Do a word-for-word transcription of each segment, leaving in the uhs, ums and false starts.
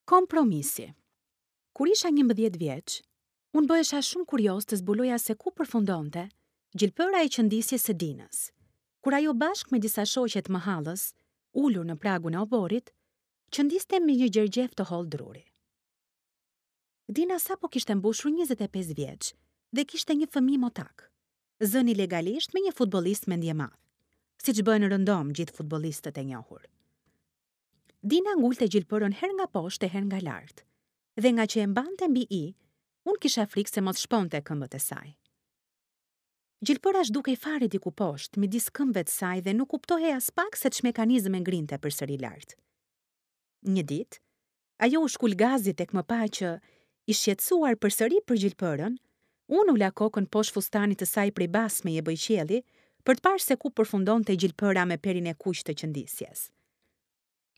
Kompromisi. Kur isha njëmbëdhjetë vjeç, unë bëhesha shumë kurioz të zbuloja se ku përfundonte gjilpëra e qëndisjes së Dinës, kur ajo bashkë me disa shoqe të mëhallës, ulur në pragun e oborrit, qëndiste me një gjergjef të hollë druri. Dina sapo kishte mbushur njëzet e pesë vjeç dhe kishte një fëmijë motak, zëni legalisht me një futbollist mendjemadh, siç bëhen rëndom gjithë futbollistët e njohur. Dina ngulte gjilpërën herë nga poshtë e herë nga lart, dhe nga që e mbante mbi i, unë kisha frikë se mos shponte këmbët e saj. Gjilpëra zhdukej fare diku poshtë, midis këmbëve të saj dhe nuk kuptohej aspak se ç'mekanizëm e ngrinte përsëri lart. Një ditë, ajo u shkul gazi tek më pa që, i shqetësuar përsëri për gjilpërën, unë ula kokën poshtë fustanit të saj prej basme e bëjqielli për të parë se ku përfundonte gjilpëra me perin e kuq të qëndisjes.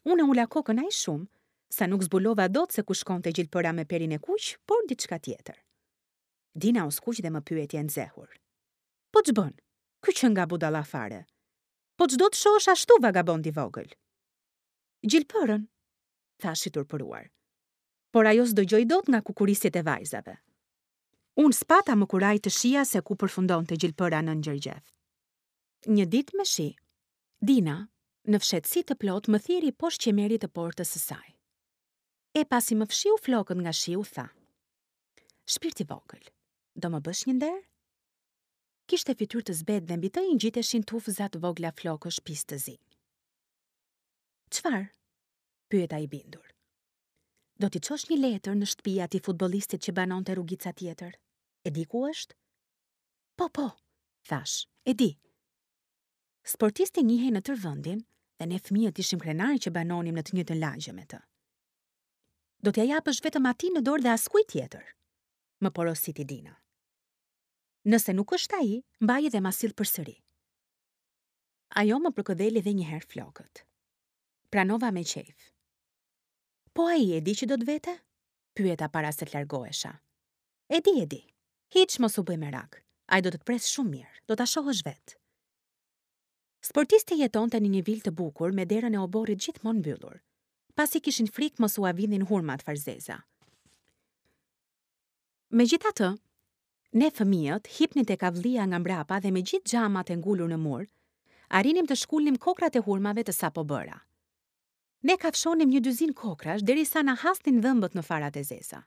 Unë e ula kokën aq shumë, sa nuk zbulova dot se ku shkonte gjilpëra me perin e kuq, por diçka tjetër. Dina u skuq dhe më pyeti e nxehur. Po ç'bën? Ky që nga budalla fare. Po ç'do të shohësh ashtu vagabond i vogël? Gjilpërën, thash i turpëruar. Por ajo s'dëgjoi dot nga kukurisjet e vajzave. Unë s'pata më kuraj të shija se ku përfundonte gjilpëra nën gjergjef. Një ditë me shi, Dina, në fshehtësi të plot, më thirri poshtë qemerit të portës së saj. E pasi më fshiu flokët nga shiu, tha: Shpirt i vogël, do më bësh një nder? Kishte fytyrë të zbehtë dhe mbi të i ngjiteshin tufza të vogla flokësh pis të zi. Çfarë? Pyeta i bindur. Do t'i çosh një letër në shtëpi atij futbollistit që banonte rrugica tjetër. E di ku është? Po, po, thash, e di. Sportisti njihej në tërë vendin dhe ne fëmijët ishim krenarë që banonim në të njëjtën lagje me të. Do t'ja japësh vetëm atij në dorë dhe askujt tjetër, më porositi Dina. Nëse nuk është ai, mbaje dhe ma sill përsëri. Ajo më përkëdheli edhe një herë flokët. Pranova me qejf. Po ai e di që do të vete? Pyeta para se të largohesha. E di, e di. Hiç mos u bëj merak. Ai do të të pres shumë mirë, do ta shohësh vetë. Sportisti jetonte në një vilë të bukur me derën e oborrit gjithmonë mbyllur, pasi kishin frikë mos ua vidhin hurmat farzeza. Megjithatë, ne fëmijët hipnin tek avllia nga mbrapa dhe me gjithë xhamat e ngulur në mur, arrinim të shkulnim kokrat e hurmave të sapo bëra. Ne kafshonim një dyzin kokrash derisa na hasnin dhëmbët në farat e zeza.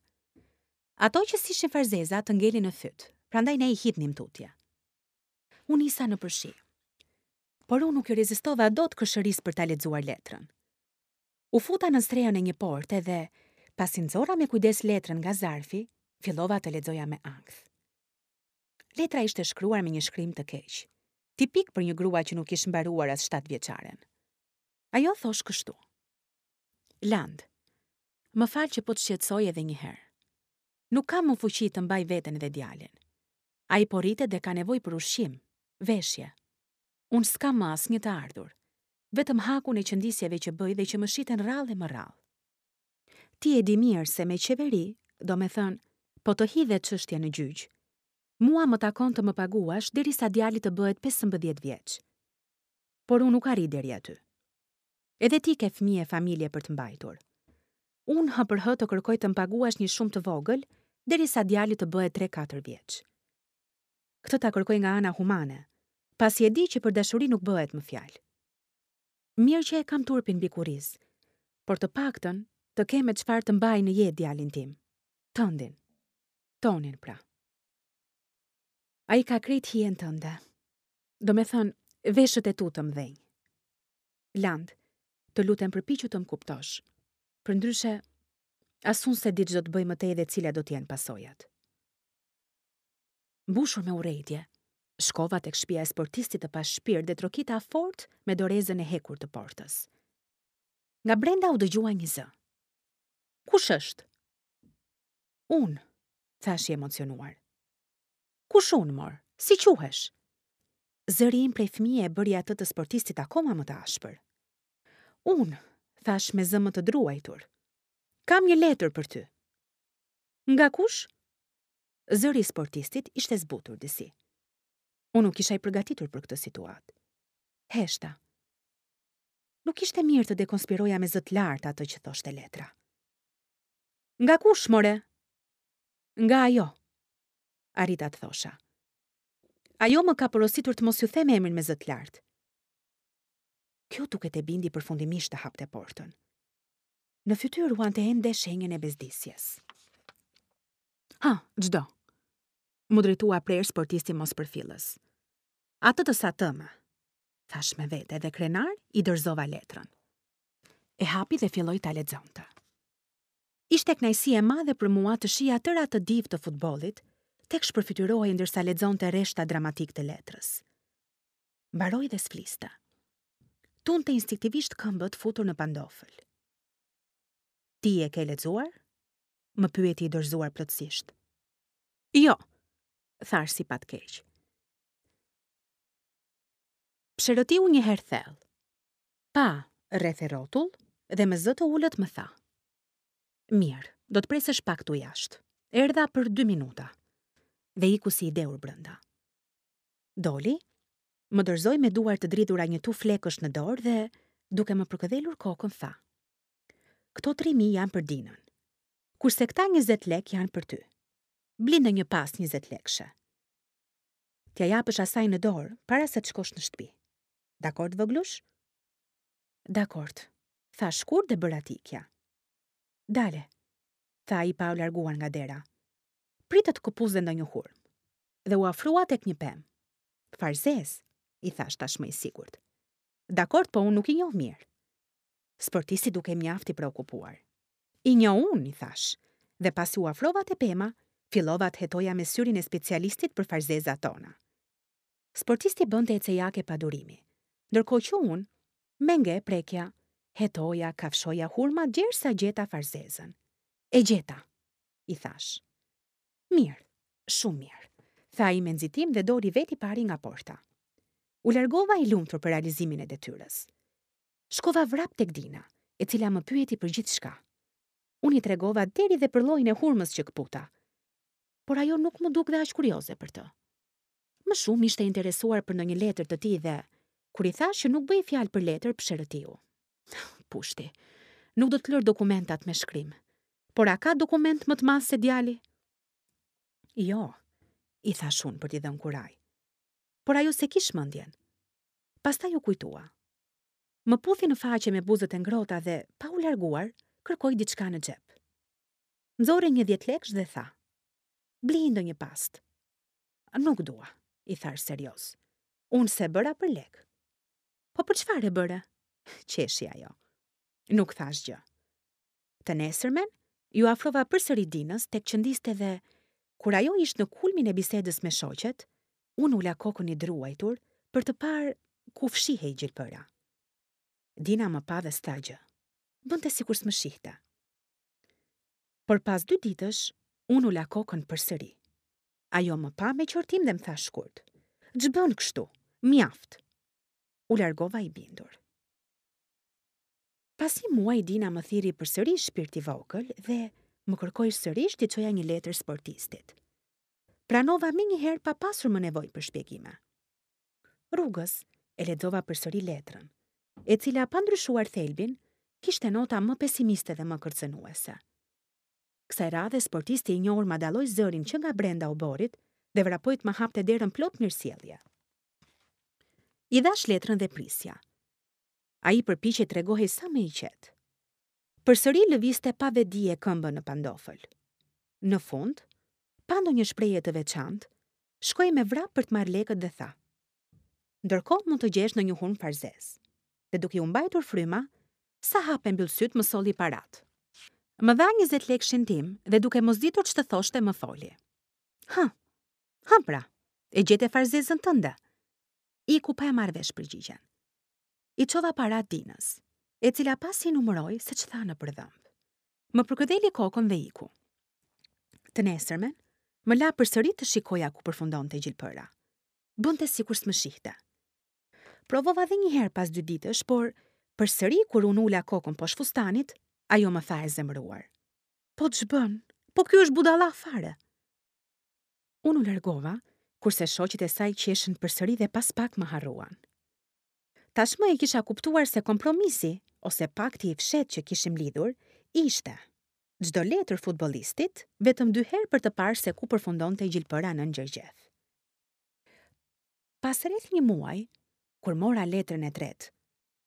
Ato që s'ishin farzeza të ngelin në fyt, prandaj ne i hidhnim tutje. Unë isa në përshi, por unë nuk i rezistova dot kërshërisë për ta lexuar letrën. U futa në strehën e një porte dhe, pasi nxora me kujdes letrën nga zarfi, fillova të lexoja me ankth. Letra ishte shkruar me një shkrim të keq, tipik për një grua që nuk ish mbaruar as shtatë vjeçaren. Ajo thosh kështu: Land, më fal që po të shqetësoj edhe një herë. Nuk kam më fuqi të mbaj veten dhe djalin. Ai po rritet dhe ka nevojë për ushqim, veshje. Unë s'kam më asnjë të ardhur, vetëm hakun e qëndisjeve që bëj dhe që më shiten rrallë e më rrallë. Ti e di mirë se me qeveri, do me thënë, po të hidhet çështja në gjyq, mua më takon të më paguash derisa djali të bëhet pesëmbëdhjetë vjeç. Por unë nuk arrij deri aty. Edhe ti ke fëmijë e familje për të mbajtur. Unë hë për hë të kërkoj të më paguash një shumë të vogël derisa djali të bëhet tre katër vjeç. Këtë ta kërkoj nga ana humane, pasi e di që për dashuri nuk bëhet më fjalë. Mirë që e kam turpin mbi kurriz, por të paktën të kem me çfarë të mbaj në jetë djalin tim, tëndin, tonin pra. Ai ka krejt hijen tënde, do me thënë, veshët e tu të mëdhenj. Land, të lutem përpiqu të më kuptosh. Përndryshe, as unë s'e di ç'do të bëj më tej dhe cilat do të jenë pasojat. Mbushur me urrejtje, shkova tek shtëpia e sportistit të pashpirt dhe trokita fort me dorezën e hekur të portës. Nga brenda u dëgjua një zë. Kush është? Unë, thash i emocionuar. Kush unë, mor? Si quhesh? Zëri im prej fëmije e bëri atë të sportistit akoma më të ashpër. Unë, thash me zë më të druajtur. Kam një letër për ty. Nga kush? Zëri i sportistit ishte zbutur disi. Unë nuk isha i përgatitur për këtë situatë. Heshta. Nuk ishte mirë të dekonspiroja me zë të lartë atë që thoshte letra. Nga kush, more? Nga ajo, arrita të thosha. Ajo më ka porositur të mos ju them emrin me zë të lartë. Kjo duket e bindi përfundimisht të hapte portën. Në fytyrë ruante ende shenjën e bezdisjes. Ha, ç'do? M'u drejtua prerë sportisti mospërfillës. Atë të sa tëme, thashë me vete dhe krenar i dorëzova letrën. E hapi dhe filloi ta lexonte. Ishte kënaqësi e madhe për mua të shihja tërë atë divë të futbollit, tek shpërfytyrohej ndërsa lexonte rreshta dramatik të letrës. Mbaroi dhe s'fliste. Tunte instinktivisht këmbët futur në pandofël. Ti e ke lexuar? Më pyeti i dorëzuar plotësisht. Jo, thashë si pa të keq. Psherëtiu një herë thellë. Pa, rreth e rrotull dhe me zë të ulët më tha. Mirë, do të presësh pak tu jashtë. Erdha për dy minuta. Dhe iku si i dehur brenda. Doli, më dorëzoi me duar të dridhura një tufë lekësh në dorë dhe, duke më përkëdhelur kokën, tha. Këto tri mijë janë për Dinën, kurse këta njëzet lek janë për ty. Bli ndonjë pastë njëzet lekëshe. T'ia japësh asaj në dorë para se të shkosh në shtëpi. Dakord, voglush? Dakord, tha shkurt dhe bëra t'ikja. Dale, tha ai pa u larguar nga dera. Prit të të këpus dhe ndonjë hurmë. Dhe u afrua tek një pemë. Farzez, i thash tashmë i sigurt. Dakord, po unë nuk i njoh mirë. Sportisti duke mjaft i preokupuar. I njoh unë, i thash, dhe pasi u afrova te pema, fillova të hetoja me syrin e specialistit për farzezat tona. Sportisti bënte ecejake pa durimi, ndërkohë që unë, me nge prekja, hetoja, kafshoja hurma gjersa gjeta farzezën. E gjeta, i thash. Mirë, shumë mirë, tha ai me nxitim dhe doli vetë i pari nga porta. U largova i lumtur për realizimin e detyrës. Shkova vrap tek Dina, e cila më pyeti për gjithçka. Unë i tregova deri dhe për llojin e hurmës që këputa, por ajo nuk më duk dhe aq kurioze për të. Më shumë ishte interesuar për ndonjë letër të tij dhe, kur i thash që nuk bëj fjalë për letër, psherëtiu. Pushti, nuk do të lër dokumentat me shkrim. Por a ka dokument më të madh se djali? Jo, i thash unë për t'i dhënë kuraj. Por ajo se kish mendjen. Pastaj u kujtua. Më puthi në faqe me buzët e ngrohta dhe, pa u larguar, kërkoi diçka në xhep. Nxorri një dhjetë lekësh dhe tha: Bli ndonjë pastë. Nuk dua, i thash serioz. Unë se bëra për lek. Po për çfarë e bëre? Qeshi ajo. Nuk thash gjë. Të nesërmen, ju afrova përsëri Dinës tek qëndiste dhe, kur ajo ishte në kulmin e bisedës me shoqet, unë ula kokën i druajtur për të parë ku fshihej gjilpëra. Dina më pa dhe s'tha gjë. Bënte sikur s'më shihte. Por pas dy ditësh, unë ula kokën përsëri. Ajo më pa me qortim dhe më tha shkurt. Ç'bën kështu? Mjaft. U largova i bindur. Pas një muaji Dina më thirri përsëri shpirt i vogël dhe më kërkoi sërish t'i çoja një letër sportistit. Pranova menjëherë pa pasur më nevojë për shpjegime. Rrugës e lexova përsëri letrën, e cila pa ndryshuar thelbin, kishte nota më pesimiste dhe më kërcënuese. Kësaj radhe sportisti i njohur ma dalloi zërin që nga brenda oborit dhe vrapoi të më hapte derën plot mirësjellje. I dhash letrën dhe prisja. Ai përpiqej të tregohej sa më i qetë. Përsëri lëviste pa vetëdije këmbën në pandofël. Në fund, pa ndonjë shprehje të veçantë, shkoi me vrap për të marrë lekët dhe tha: Ndërkohë mund të gjesh ndonjë hurmë farzez. Dhe duke u mbajtur fryma, sa hap e mbyll syt më solli parat. Më dha njëzet lekshin tim dhe duke mos ditur ç'të thoshte më foli. Ha, ha pra, e gjete farzezën tënde. Iku pa e marrë vesh përgjigjen. I çova parat Dinës, e cila pasi numëroi se ç'tha në përdhëmb. Më përkëdheli kokën dhe iku. Të nesërmen, më la përsëri të shikoja ku përfundonte gjilpëra. Bënte sikur s'më shihte. Provova dhe një herë pas dy ditësh, por përsëri kur unë ula kokën poshtë fustanit, ajo më tha e zemëruar. Po ç'bën? Po ky është budalla fare. Unë u largova, kurse shoqet e saj qeshën përsëri dhe pas pak më harruan. Tashmë e kisha kuptuar se kompromisi, ose pakti i fshehtë që kishim lidhur, ishte Çdo letër futbollistit, vetëm dy herë për të parë se ku përfundonte gjilpëra nën gjergjef. Pas rreth një muaj, kur mora letrën e tretë,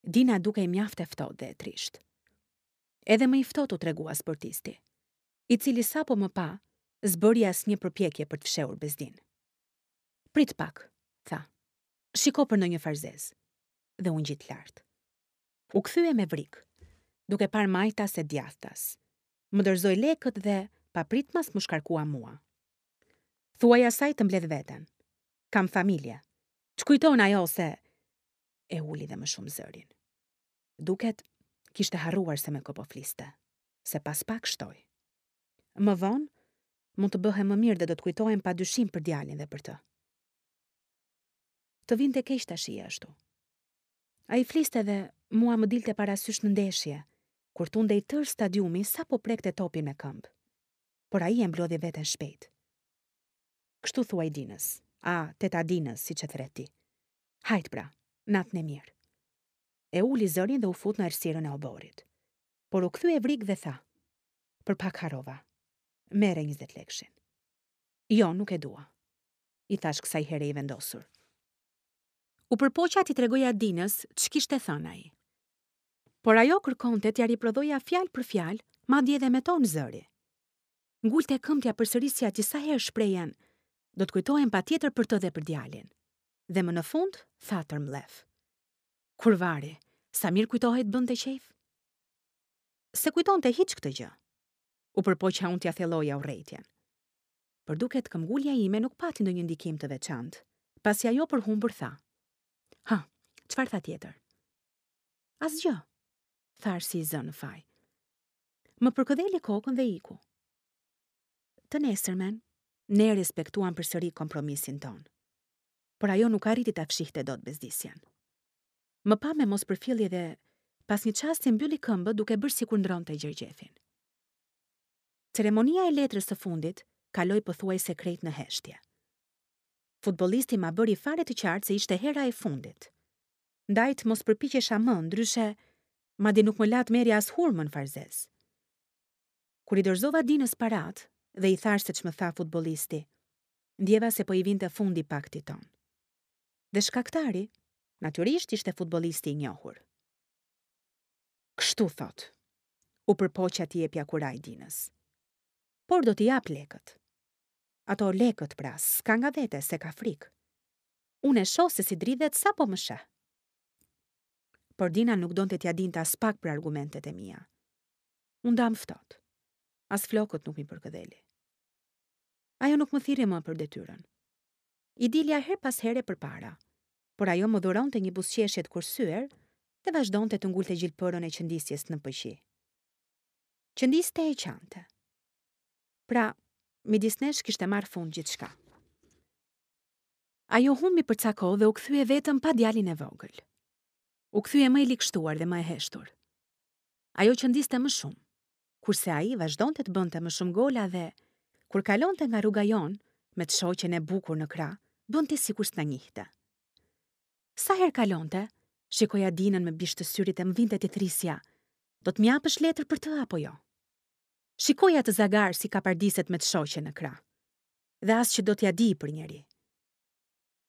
Dina dukej mjaft e ftohtë dhe e trishtë. Edhe më i ftohtë u tregua sportisti, i cili sapo më pa, s'bëri asnjë përpjekje për të fshehur bezdinë. Prit pak, tha. Shiko për ndonjë farzez. Dhe u ngjit lart. U kthye me vrik, duke parë majtas e djathtas. Më dorëzoi lekët dhe papritmas më shkarkua mua. Thuaj asaj të mbledh veten. Kam familje. Ç'kujton ajo se e uli dhe më shumë zërin. Duket kishte harruar se me kë po fliste, se pas pak shtoi. Më vonë, mund të bëhem më mirë dhe do të kujtohem pa dyshim për djalin dhe për të. Të vinte keq ta shihje ashtu. Ai fliste dhe mua më dilte parasysh në ndeshje, kur tundej tërë stadiumi sapo prekte topin me këmbë. Por ai e mblodhi veten shpejt. Kështu thuaj Dinës, a teta Dinës, siç e thret ti. Hajt pra, natën e mirë. E uli zërin dhe u fut në errësirën e oborrit. Por u kthye vrik dhe tha: "Për pak harrova. Merre njëzet lekshin." Jo, nuk e dua, i thash kësaj here i vendosur. U përpoqa t'i tregoja Dinës ç'kishte thënë ai. Por ajo kërkonte t'ia riprodhoja fjalë për fjalë, madje edhe me ton zëri. Ngulte këmbë t'ia përsërisja disa herë shprehjen, do të kujtohem patjetër për të dhe për djalin. Dhe më në fund, tha tërmlef. Kurvari, sa mirë kujtohej të bënte qejf? Se kujtonte hiç këtë gjë. U përpoqa unë t'ia thelloja urrejtjen. Por duket këmbgulja ime nuk pati ndonjë ndikim të veçantë, pasi ajo përhumbur tha: "Ha, çfarë tha tjetër?" Asgjë, thash si i zënë në faj. Më përkëdheli kokën dhe iku. Të nesërmen, ne respektuam përsëri kompromisin ton. Por ajo nuk arriti ta fshihte dot bezdisjen. Më pa me mospërfillje dhe pas një çasti mbylli këmbët duke bërë sikur ndronte gjergjefin. Ceremonia e letrës së fundit kaloi pothuajse krejt në heshtje. Futbollisti ma bëri fare të qartë se ishte hera e fundit. Ndaj të mos përpiqesha më, ndryshe, madje nuk më la të merrja as hurmën farzez. Kur i dorëzova Dinës parat dhe i thash se ç'më tha futbollisti, ndjeva se po i vinte fundi paktit ton. Dhe shkaktari, natyrisht ishte futbollisti i njohur. Kështu thot, u përpoqa t'i jepja kuraj Dinës. Por do t'i jap lekët. Ato lekët pra, s'ka nga vete, se ka frikë. Unë e shoh se si dridhet sapo më sheh. Por Dina nuk donte t'ia dinte as pak për argumentet e mia. Unë ndam ftohtë. As flokët nuk mi përkëdheli. Ajo nuk më thirri më për detyrën. I dilja her pas here përpara, por ajo më dhuronte një buzëqeshje të kursyer dhe vazhdonte të ngulte gjilpërën e qëndisjes në pëqi. Qëndiste e qante. Pra, midis nesh kishte marrë fund gjithçka. Ajo humbi për ca kohë dhe u kthye vetëm pa djalin e vogël. U kthye më i ligshtuar dhe më e heshtur. Ajo qëndiste më shumë, kurse ai vazhdonte të bënte më shumë gola dhe, kur kalonte nga rruga jonë, me të shoqen e bukur në krah, bënte sikur s'na njihte. Sa herë kalonte, shikoja Dinën me bisht të syrit e më vinte t'i thrisja, do të më japësh letër për të apo jo? Shikoja të zagar si kapardiset me të shoqen në krah, dhe as që do t'ja di për njeri.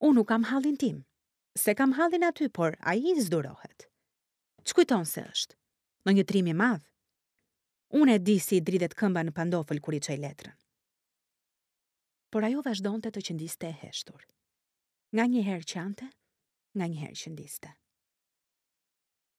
Unë nuk kam hallin tim, se kam hallin aty, por ai zdurohet. Ç'kujton se është? Në një trim i madh? Unë e di si i dridhet këmba në pandofël kur i çoj letrën. Por ajo vazhdonte të qëndiste e heshtur. Nga një herë qante, nga një herë qëndiste.